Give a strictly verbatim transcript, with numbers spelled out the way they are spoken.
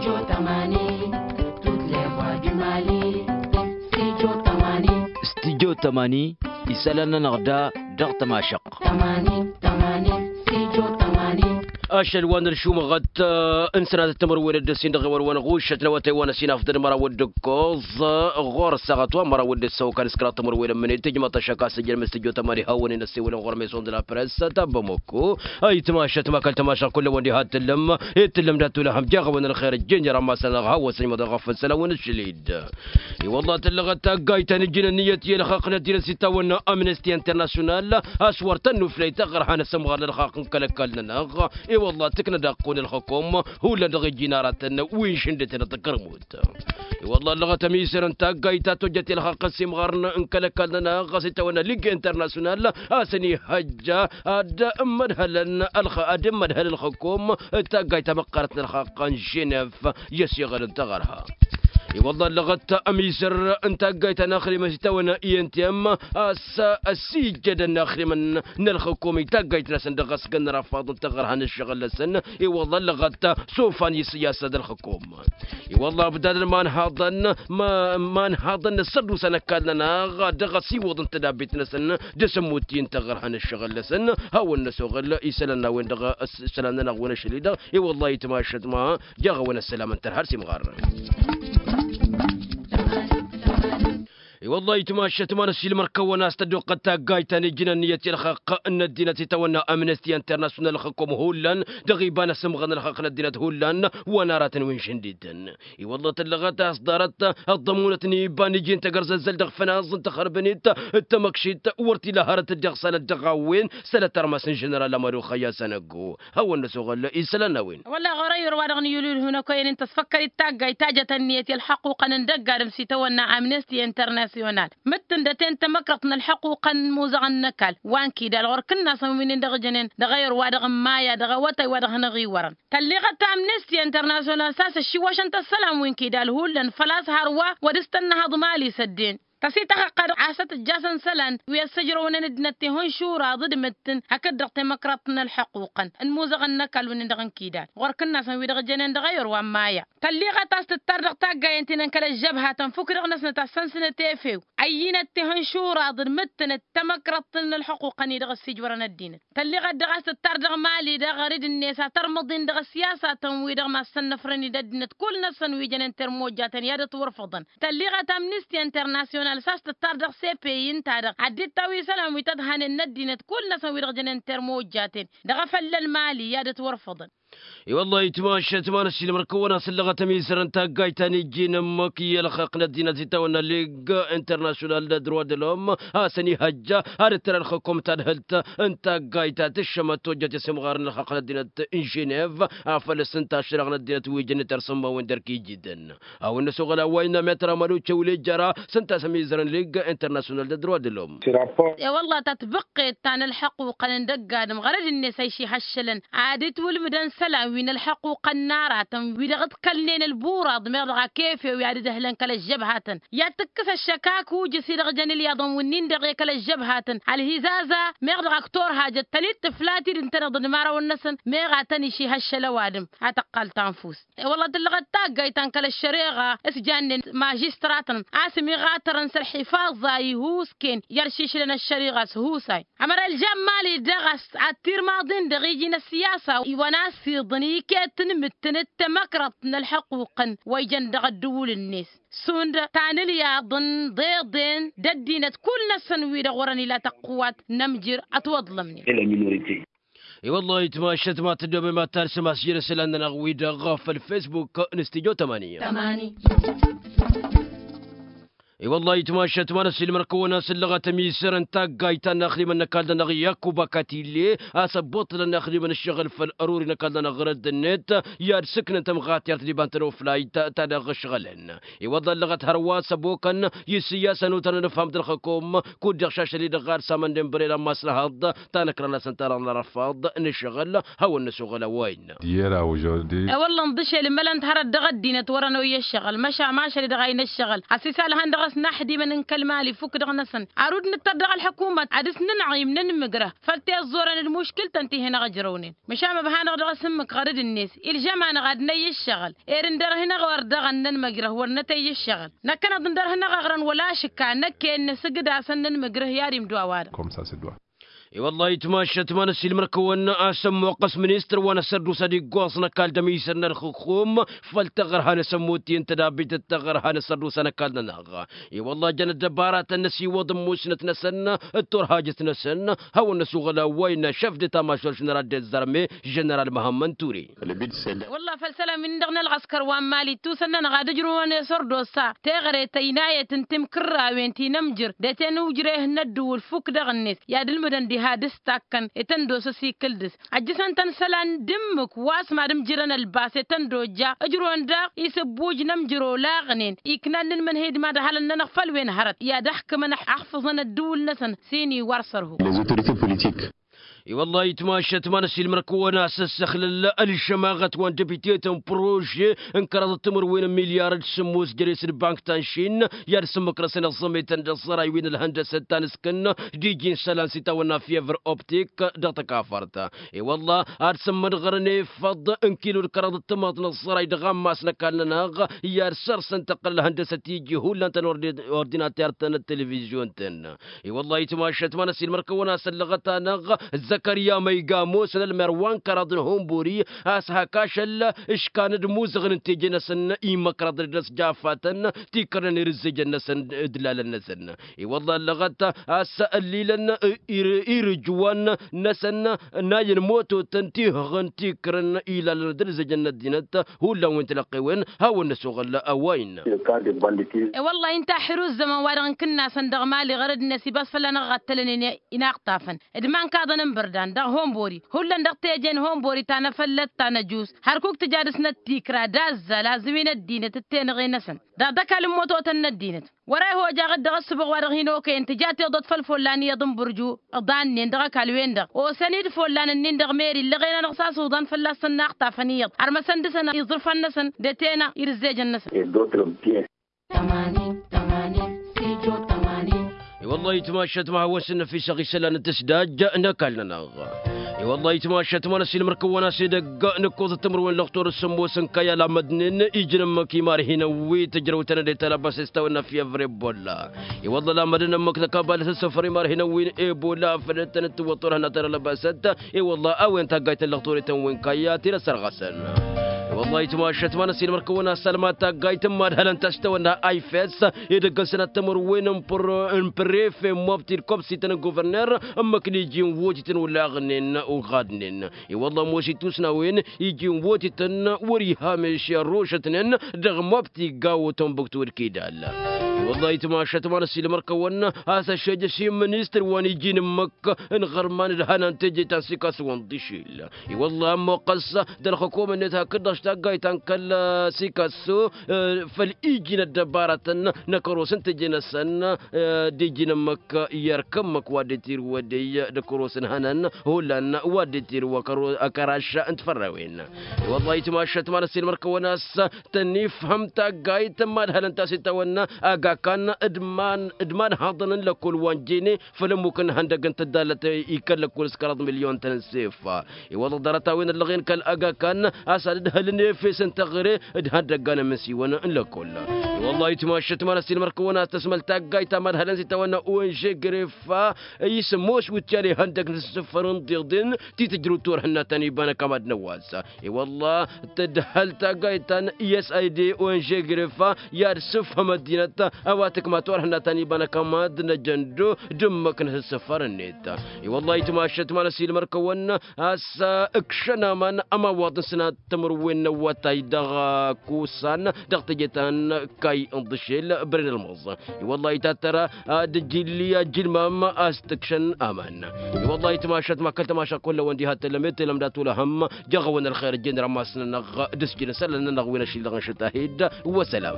Studio tămani. Studio tămani. Isălan-nănăɣ da dăɣ-tămašăɣt. Ašăl wa n-ălšumăɣăt n-sănatăt timǝrwen d-ăssin dăɣ-ewăn wa n-ɣušăt n-awătay wa n-ăsinafḍăn măraw d-ǝkkoẓ ɣur-ăssaɣăt wa n-măraw d-ăssăwăkan s-kăraḍ timǝrwen ămmănet tǝjmăḍ-t ăššăk a-s ăjjăn măs tijot ămani hawăn-in ăssewălăn ɣur-meson d-la press ta bămoko. Ayǝtmašăt ma kăl-tămašăɣ kull-ăwăn diha t-tǝllăm. Ed tǝllăm dat-tulăhăm jaɣ-awăn ălxer ǝjjǝnjăr ammas-nănăɣ hawăn-săjmăḍăn ɣăf ǝssălan wa n-ašlid. I-wălla tǝllăɣăt taggayt ta n-ijjǝnăn iyyăt i-ălxaqq n-ăddinăt s-itawănna amnesty international a-s wăr tăn-nuflăy taɣărha n-asǝmɣar n-ălxaqq n-kăl-ăkall-nănăɣ. I-wălla tǝknăd aqqu n-ălxăkom hullan dăɣ-ijjǝn aratăn wi n-išǝndǝtăn d-tăkărmut. I-wălla ăllăɣăt ămisăr n-taggayt ta tojjăt i-ălxaqq n-simɣarn n-kăl-ăkall-nănăɣ a-s itawănna ligue international a-s ănihăjja ad-ămmădhălăn ălxăkom d-taggayt ta măqqarăt n-ălxaqq n-ženev i-ăsiɣălăn taɣărha. I-wălla ăllăɣăt ămisăr n-taggayt ta n-axrimăn s-itawănna i n t m a-s ăsijjădăn axrimăn n-ălxăkom i-taggayt-năsăn dăɣ-asgăn n-ărafaḍ n-taɣărha n-ǝššăɣǝl-năsăn. I-wălla ăllăɣăt sofan i-sǝyyasa d-ălxăkom. I-wălla abdadăn ma n-haḍăn ma n-haḍăn n-ăssărdusa n-ăkall-nănăɣ dăɣ-ăsiwăḍ n-tădabbit-năsăn d-asǝmmut-i n-taɣărha n-ǝššăɣǝl-năsăn. Hawăn-năsoɣăl isălan n-a-wen-dăɣ isălan-nănăɣ wen ašăl-i-dăɣ. I-wălla itmašăt ma jaɣ-awăn ăssălam n-tărha d-simɣar. I-wălla itmašăt ma n-ăssiilmăr-kăwăn a-s tăddoqqăt taggayt ta n-ijjǝnăn iyyăt i-ălxaqq n-ăddinăt itawănna amnesty international ălxăkom hullan dăɣ-iba n-asǝmɣăr n-ălxaqq n-ăddinăt hullan wa n-aratăn wi n-išǝndităn. I-wălla tǝllăɣăt a-s ḍarăt ăḍḍămunăt n-iba n-iji n-tagărzăzzăl dăɣ-fănaẓ n-taxărbănit d-tamăkšit wăr t-ila hărăt dd-iɣsalăt dăɣ-a-wen sălăt armas n-ženeral amădu xăyya sănăggo. Hawăn-năsoɣăl isălan n-a-wen. Wălla ɣur-ăyyor wa dăɣ-nǝyulul hunăkoyăn-in tăsfăkkăl-dd taggayt ta jăt ǝnniyăt i-ălxăqquqăn n-dăgg-adǝm s-itawănna amnesty international mǝttǝndăten tamăkrăḍt n-ălxăqquqăn n-imuzăɣăn n-ăkall wa n-kidal ɣur-kǝnnasăn wi-nin-dăɣ ǝjănen dăɣ-ăyyor wa dăɣ-n maya dăɣ-awătay wa dăɣ-hanăɣ-iwărăn. Tălliɣăt amnesty international s-a-s ăššiwwăšăn-t ăssălam wi n-kidal hullan făl-a-s hărwa wăr dăɣ-s tănnăhăḍ mali s-ăddin tăsităxăqqad a-s ad-t-ǝjjasăn isălan wi ăssăjrăwnen ăddinăt tihǝnšuraḍ d-imǝttǝn hakd-dăɣ temăkrăḍt n-ălxăqquqăn n-imuzăɣăn n-ăkall wi-nin-dăɣ n-kidal ɣur-kǝnnasăn wi-dăɣ jănen dăɣ-eyăr wa n-maya. Tălliɣăt a-s tǝttar dăɣ-taggayen ti-nănkăl ăžžăbhatăn fukk-dăɣ-năsnăt a ăssănsǝnăt efew ăyyinăt tihǝnšuraḍ d-imǝttǝnăt temăkrăḍt n-ălxăqquqăn-i-dăɣ ăssiijwărăn ăddinăt. Tălliɣăt dăɣ-a-s tǝttar dăɣ-mali dăɣ-rid-net a tărmǝḍin dăɣ-ăssiyasatăn-wi-dăɣ ma s-sănnăfrăn-dd ăddinăt kull-năsăn wi jănen termojjatăn i-ad-ătwărfăḍăn. Tălliɣăt amnesty international s-a-s tǝttar dăɣ-sepe i ǝnta-dăɣ ad-dd-tawǝy isălan wi tădhanen n-ăddinăt kull-năsăn wi-dăɣ jănen termojjaten dăɣ-efălla n-mali i-ad-ătwărfăḍăn. I-wăllah itmašăt ma n-ăssiilmăr-kăwăn a-s ǝllăɣăt ămizăr n-taggayt ta n-ijjin ǝmmǝk i-ălxaqq n-ăddinăt itawănna liga international d-droit de l'homme a-s ănihăjja ad-dd-tăra ălxăkom tadhǝlt n-taggayt ta tǝššămăt tojjăt i-sǝmɣar n-ălxaqq n-ăddinăt n-ženev. Afăl s-ǝnta ašrăɣ n-ăddinăt wi jăn-ităr s-ǝmmawăn d-erk ijidăn a-wen n-ăsoɣăl a-wa innă metr amăluce wǝlejjăra s-ǝnta a-s ămizăr n-liga international d-droit de l'homme. E-wăllah tatbăqqet ta n-ălḥăqquqăn n-dăgg-adǝm ɣărăd-net a išihăššălăn ad-itwǝlmǝdăn isălan wi n-ălḥăqquqăn n-aratăn wi dăɣ-dd-kălnen ălburaḍ meɣ dăɣ-ak efew i-ad-dd-ăhlăn kăl-ăžžăbhatăn i-ad-tǝkkǝs ăššăk ak ujǝs-i-dăɣ jăn ǝlyaḍăn wi-nin-dăɣ i-kăl-ăžžăbhatăn ălhizaza meɣ dăɣ-ak turhajăt tăn-dd-tǝfla tidǝn-tăn-dd n-imărawăn-năsăn meɣ ad-tăn-išihăššăl ăwadǝm ad-tăqqal tanfust. E-wălla tǝllăɣăt taggayt ta n-kăl-ăššăreɣa s-jannen mažistratăn a-s ămiɣatărăn s-ălḥifaẓa ihusken i-ăršišlăn ăššăreɣa s-husay ămăra ălžan mali-dăɣ a-s ad-tirmaḍin-dăɣ iji n-ăssiyasa iwăn-asiḍăn iket n-imǝttǝn d-tamăkrăḍt n-ălḥăqquqăn wa ijăn dăɣ-ăddǝwǝl-net šund tanǝlyaḍ n-iḍeḍen d-ăddinăt kull-năsăn wi-dăɣ wărăn ila tăqqǝwat n-ămjir ătwăḍlămnen. I-wăllah itmašăt ma tǝddoobem ad-talsăm a-s jere isălan-nănăɣ wi-dăɣ făll-facebook n-studio tămani. I-wăllah itmašăt ma n-ăssiilmăr-kăwăn a-s ǝllăɣăt ămisăr n-taggayt ta n-inaxdimăn n-ăkall-nănăɣ yakuba katille a-s ăbbuṭṭǝlăn inaxdimăn ǝššăɣǝl făll-ăruri n-ăkall-nănăɣ ɣărădd-net i-ad-sǝknăn tămɣatert d-iba n-tănoflayt ta dăɣ-ǝšɣălăn. I-wăḍḍa ǝllăɣăt hărwa s-ăbokăn i-sǝyyasăn utărăn ǝfham d-ălxăkom kud-dăɣ šašăl-i-dăɣ ɣad samăn d-inbărel ammas n-ehăḍ ta n-ăkrăn-asăn tarăɣ n-arăfaḍ n-ǝššăɣǝl. Hawăn-năsoɣăl a-wa innă. Diyera ujordi. E-wălla ǝnḍǝšel imălăn-t hărăt dăɣ-ăddinăt wărăn oyya ǝššăɣǝl măšan mašăl-i-dăɣ a hin-ǝššăɣǝl a-s isal ihăn dăɣ-s. n-aḥdimăn n-kăl-mali fukk dăɣ-năsăn. Ar udd nǝttăr dăɣ-ălḥăkumăt ad-dăɣ-s nǝnɣim nǝnmǝgrăh făll-tiẓẓurăn d-muškǝltăn ti hin-ăɣjărăwnen. Măšan ma ăbhanăɣ dăɣ-asǝmmǝk ɣărăd-net ilžăm-anăɣ ad-năyy ǝššăɣǝl. Ed ǝndărhǝnăɣ wăr dăɣ-ănnănmăgrăh wăr nătăyy ǝššăɣǝl. Năkkăneḍ ǝndărhǝnăɣ aɣrăn wăla ašǝkka năkk-en nǝsǝgǝd-asăn nǝnmǝgrăh i-ad-imdǝw a-wa-dăɣ. I-wăllah itmašat ma n-ăsiilmăr-kăwăn a-s ămmuqqăs ministăr wa n-asărdusa d-iggoẓ n-ăkall d-ămisăr n-ălxǝxxum făll-taɣărha n-asămmut-i n-tădabbit d-taɣărha n-asărdusa n-ăkall-nănăɣ. I-wăllah jăn ăddăbaratăn n-ăsiwăḍ n-musnăt-năsăn d-turhajăt-năsăn hawăn-năsuɣăl a-wa innă šăf d-eta mašor ženeral d-ăzzărme ženeral măhămmăn ture. Wăllah făll-isălan-win-dăɣ n-ălɣăskăr wa n-mali ittusăn-nănăɣ ad-ǝjrǝwăn i-sărdosa teɣăre tăynayăt n-timkǝrrawen ti n-ămjǝr d-eten ujreh n-ăddǝwǝl fukk dăɣ-net i-ad-ǝlmǝdăn diha dăɣ-s takkăn i-tăn-dd-osa s-ikǝl dăɣ-s. Ăjjǝsăn-tăn isălan d-ǝmmǝk wa s-mad-ǝmjǝrăn ălbas i-tăn-dd-ojja ǝjrǝwăn daɣ isǝbbuj n-ămjǝr olaɣnen iknan n-inmǝnhǝy d-mad ăhalăn-nănăɣ făll-wen hărăt i-ad-ăxkǝmăn ăxfǝẓăn ăddǝwǝl-năsăn s-inǝy wa ărsărhu. I-wăllah itmašat ma n-ăsiilmăr-kăwăn a-s ăssăxlăl ălžămaɣăt wa n-depite-tăn prože n-kăraḍăt timǝrwen n-milyar d-sǝmmos jere-s d-bank ta n-šin i-ad-sǝmmǝk-năsăn iẓẓămetăn d-ăẓẓăray wi n-ălhăndăsăt ta n-ǝskǝn d-iji n-isălan s-itawănna fievre optik dăɣ-tăkafărt. I-wăllah ad-sǝmmădɣărăn efăḍ n-kilo d-kăraḍăt timaḍ n-ăẓẓăray dăɣ-ammas n-ăkall-nănăɣ i-ad-săr-săn tăqqăl ălhăndăsăt iji hullan tăn-ordinater-tăn d-televizyon-tăn. I-wăllah itmašat ma n-ăsiilmăr-kăwăn a-s ăllăɣăt-anăɣ zăkărya ma iga ămoosăn ălmer wa n-kăraḍ n-hunburi a-s hak ašăl ǝškan d-imuzăɣăn n-teje-năsăn imăkraḍ d-ăsjafatăn tikrăn irǝzzejăn-năsăn d-lalăn-năsăn. I-wăllah ăllăɣăt a-s ăllilăn irǝjwan-năsăn n-ayǝn mototăn tihăɣăn tikrăn ilalăn d-ǝzzejăn n-ăddinăt. Hullan wi n-tilăqqewen hawăn-năsoɣăl a-wa innă. I-wăllah inta ăxxir uzzăman wa dăɣ-n kǝnnasăn dăɣ-mali ɣărăd-net ibas fălla-năɣ ɣattălănen inaɣtafăn d-imankaḍăn n-bărdan dăɣ-honbori hullan dăɣ-teje n-honbori ta n-afăllăt ta n-ăjus hărkuk tǝja dăɣ-snăt tikra d-azzal azǝwin ăddinăt d-tenăɣe-năsăn. Dăɣ-ăkall n-mototăn n-ăddinăt wăr-e hojaɣ-dd dăɣ-ăssǝbuɣ wa dăɣ-hin-okăyăn tǝja tiḍot făll-follan iyyăḍ n-bărju. Ǝḍannen dăɣ-ăkall-wen-dăɣ osăn-dd follan-ǝnnin dăɣ-meri ǝllăɣen-anăɣ s-asǝwḍăn fălla-săn inaɣtafăn iyyăḍ har măsăn dăɣ-săn iẓrǝfan-năsăn d-etena irǝzzejăn-năsăn. I-wăllah itmašat ma hawăn-sǝnnăfisăɣ isălan n-tǝsdaj n-ăkall-nănăɣ. I-wăllah itmašat ma n-ăsiilmăr-kăwăn a-s edăgg nǝkkoẓăt timǝrwen lăxtur s-sǝmmos n-kayal amădnen ijnǝmmăk imarhinăn wi tǝjrăw-tăn d-eta labas s-tawănna fievre bolla. I-wăllah lamădăn ǝmmǝk tăkabalăt s-săfăr imarhinăn wi n-ebola făl tăn-dd-tǝwwăḍ turhǝnna ta n-alăbasăt. I-wăllah a-wen taggayt n-lăxturităn wi n-kayya ti n-ăssărɣăsăn. I-wăllah itmašat ma n-ăsiilmăr-kăwăn a-s ălmad taggayt n-imadhălăn ta s-tawănna ifes edăgg n-sănat timǝrwen n-prefe n-mobti d-kobsităn n-govărner ǝmmǝk n-iji n-wotităn olaɣnen oɣadnen. I-wăllah ămoos ittus n-a-wen iji n-wotităn wăr-iha meši ărrošătnen dăɣ-mobti gawo tombuktu d-kidal. I-wăllah itmašat ma n-ăsiilmăr-kăwăn a-s ăššejăš i-ministăr wa n-iji n-ǝmmǝk n-iɣărman d-hănan teje ta n-sikasso wa n-dišil. I-wăllah ămmoqqăs d-ălxukum-net hakd-dăɣ s-taggayt ta n-kăl-sikasso făll-iji n-ăddăbaratăn n-akăros n-teje-năsăn d-iji n-ǝmmǝk i-ărk ǝmmǝk wa dd-tirǝwădăy d-akăros n-hănan hullan wa dd-tirǝwăkăro akăraš n-tifărrewen. I-wăllah itmašat ma n-ăsiilmăr-kăwăn a-s tăn-ifhăm taggayt n-imadhălăn ta s-itawănna agakan d-iman d-imanhaḍăn n-lăkkol wa n-jene făll-ămmuk n-ihăndăg n-tăddalăt ikkăl lăkkol s-kăraḍ milyon-tăn n-sef. I-wăllah ḍarăt-a-wen ăllăɣen kăl-agakan a-s ad-dd-hălăn efes n-teɣăre d-ihăndăggan n-imǝsiwăn n-lăkkol. I-wăllah itmašat ma n-ăsiilmăr-kăwăn a-s tăsmăl taggayt ta madhălăn s-itawănna onže grefa i-sămoos wǝtyan ihăndăg n-asǝssǝffăr n-iḍeḍen ti tǝjrǝw turhǝnna ta n-iba n-ăkall mad-năwwas. I-wălla tǝdhăl taggayt ta n-i s i d onže grefa i-ad-sǝfhăm ăddinăt a-wa tǝkma turhǝnna ta n-iba n-ăkall mad-năjăndo d-ǝmmǝk n-asǝssǝffăr-net. I-wălla itmašat ma n-ăsiilmăr-kăwăn a-s ǝkšăn aman ămawaḍ n-sănat timǝrwen n-awătay dăɣ-kusan dăɣ-teje ta n-kay n-iḍǝšel bren ălmăẓ. I-wălla itattăra ad-ǝjilli ajǝlmam a-s t-ǝkšăn aman. I-wălla itmašat ma kăl-tămaša kull-awăn diha tălăm i-tălăm dat-ulăhăm. Jăɣ-awăn ălxer ǝjjen rămas-nănăɣ d-ǝsjǝn isălan-nănăɣ wi n-ašǝllăɣ n-ašăt ahid. Wăsălam.